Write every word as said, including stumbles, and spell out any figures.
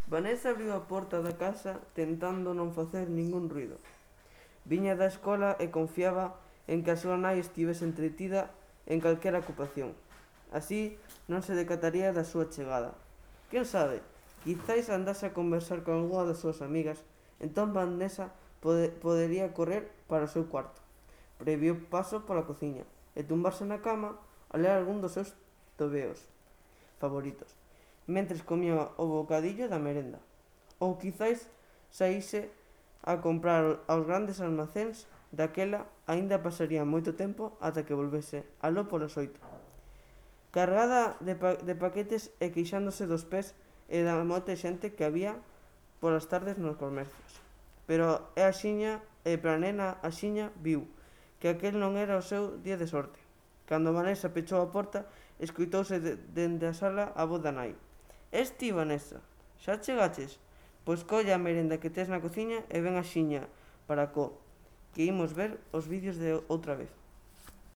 Vanessa abriu a porta da casa tentando non facer ningún ruido. Viña da escola e confiaba en que a súa nai estivese entretida en calquera ocupación. Así non se decataría da súa chegada. Quen sabe, quizáis andase a conversar con algunha das súas amigas, entón Vanessa pode, podería correr para o seu cuarto, previo paso pola cociña e tumbarse na cama a ler algún dos seus tobeos favoritos, mentres comía o bocadillo da merenda. Ou quizáis saíse a comprar aos grandes almacéns, daquela aínda pasaría moito tempo ata que volvese aló polas oito, cargada de, pa de paquetes e queixándose dos pés e da moita xente que había polas tardes nos comercios. Pero é axiña, e para a nena axiña viu que aquel non era o seu día de sorte. Cando Vanessa pechou a porta, escoitouse de, dende a sala a voz da nai. Es ti, Vanessa? Xa chegaches? Pois colla a merenda que tes na cociña e ven axiña para co, que imos ver os vídeos de outra vez.